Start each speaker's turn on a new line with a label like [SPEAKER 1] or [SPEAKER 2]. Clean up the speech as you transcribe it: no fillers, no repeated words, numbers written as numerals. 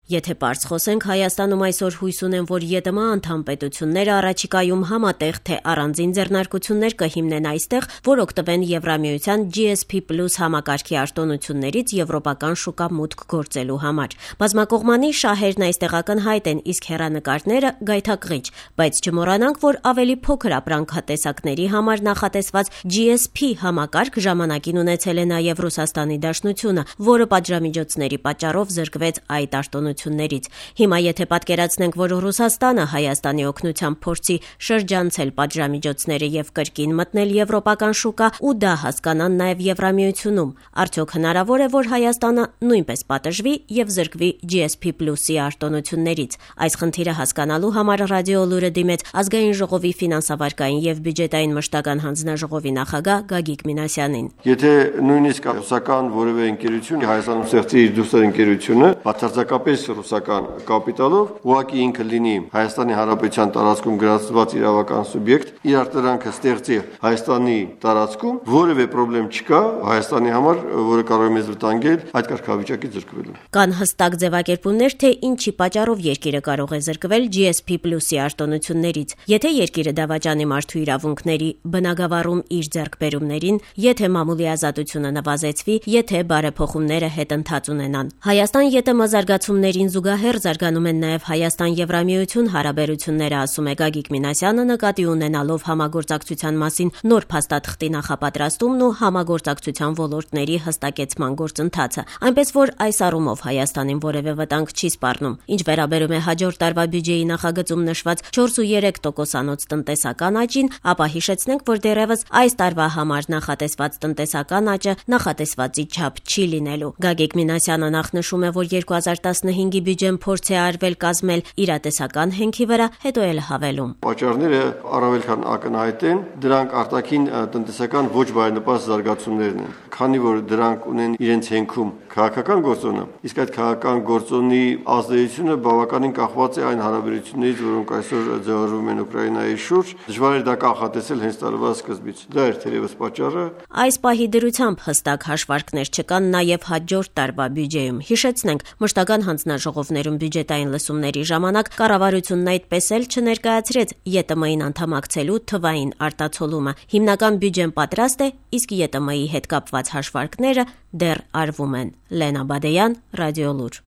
[SPEAKER 1] Եթե պարզ խոսենք, Հայաստանում այսօր հույս ունեն, որ ԵՏՄ անդամ պետությունները առաջիկայում համատեղ թե առանձին ձեռնարկություններ կհիմնեն այստեղ, որ օգտվեն Եվրամիության GSP+ համակարգի արտոնություններից եվրոպական շուկա մուտք գործելու համար։ Բազմակողմանի շահերն այստեղ ակնհայտ են, իսկ հեռանկարները գայթակղիչ, բայց չմոռանանք, որ ավելի փոքր ապրանքատեսակների համար նախատեսված GSP համակարգ ժամանակին ունեցել է նաև Ռուսաստանի Դաշնությունը, որը պատժամիջոցների պատճառով զրկվեց այդ արտոնություններից։ Հիմա եթե պատկերացնենք, որ Ռուսաստանը Հայաստանի օգնությամբ փորձի շրջանցել պատժամիջոցները եւ կրկին մտնել եվրոպական շուկա ու դա հասկանան նաեւ Եվրամիությունում, արդյոք հնարավոր է, որ Հայաստանը նույնպես պատժվի եւ զրկվի GSP+-ի արտոնություններից։ Այս խնդիրը հասկանալու համար Ռադիոլուրը դիմեց Ազգային ժողովի ֆինանսավարկային եւ բյուջետային մշտական հանձնաժողովի նախագահ Գագիկ Մինասյանին։
[SPEAKER 2] Եթե նույնիսկ ռուսական որևէ ընկերություն Հայաստանում ստեղծի իր դուստրի ընկերությունը, բացարձակապես ռուսական կապիտալով, ուղղակի ինքը լինի Հայաստանի Հանրապետության տարածքում գրանցված իրավական սուբյեկտ, իր արտադրանքը ստեղծի Հայաստանի տարածքում, որևէ խնդրեմ չկա Հայաստանի համար, որը կարող է մեզ վտանգել այդ կարգավիճակից զրկվելու։
[SPEAKER 1] Կան հստակ ձևակերպումներ, թե ինչի պատճառով երկիրը կարող է զրկվել GSP+-ի արտոնություններից։ Եթե երկիրը դավաճանի մարդու իրավունքների բնագավառում իր ձեռքբերումներին, եթե մամուլի ազատությունը նվազեցվի, եթե բարեփոխումները հետընթաց ունենան։ Հայաստան ԵՏՄ զարգացումներին զուգահեռ զարգանում են նաև Հայաստան-Եվրամիություն հարաբերությունները, ասում է Գագիկ Մինասյանը, նկատի ունենալով համագործակցության մասին նոր փաստաթղթի նախապատրաստումն ու համագործակցության ոլորտների հստակեցման գործընթացը, այնպես որ այս առումով Հայաստանին որևէ վտանգ չի սպառնում։ Ինչ վերաբերում է հաջորդ տարվա բյուջեի նախագծում նշված 4.3%-անոց տնտեսական աճին, ապա հիշեցնենք, որ դեռևս այս տարվա համար նախատեսված տնտեսական աճը նախատեսվածի չափ չի լինելու։ Գագիկ Մինասյանը նախ նշում է, որ 2015-ի բյուջեն փորձ է արվել կազմել իրատեսական հենքի վրա, հետո էլ հավելում.
[SPEAKER 2] Պատճառները առավել քան ակնհայտ են, դրանք արտաքին տնտեսական ոչ բարենպաստ զարգացումներն են, քանի որ դրանք ունեն իրենց հենքում քաղաքական գործոնը, իսկ այդ քաղաքական գործոնի ազդեցությունը բավականին կախված է այն հարաբերություններից, որոնք այսօր ձևավորվում են Ուկրաինայի շուրջ, դժվար է դա կանխատեսել հենց տարվա սկզբից։ Դա էր թերևս պատճառը։
[SPEAKER 1] Այս պահի դրությամբ հստակ հաշվարկներ չկան նաև հաջորդ տարվա բյուջեում։ Հիշեցնենք, մշտական հանձնաժողովներում բյուջետային լսումների ժամանակ կառավարությունն այդպես էլ չներկայացրեց ԵՏՄ-ին անդամակցելու թվային արտացոլումը։ Հիմնական բյուջեն պատրաստ է, իսկ ԵՏՄ-ի հետ կապված հաշվարկները դեռ արվում են։ Լենա Բադեյան, Ռադիոլուր։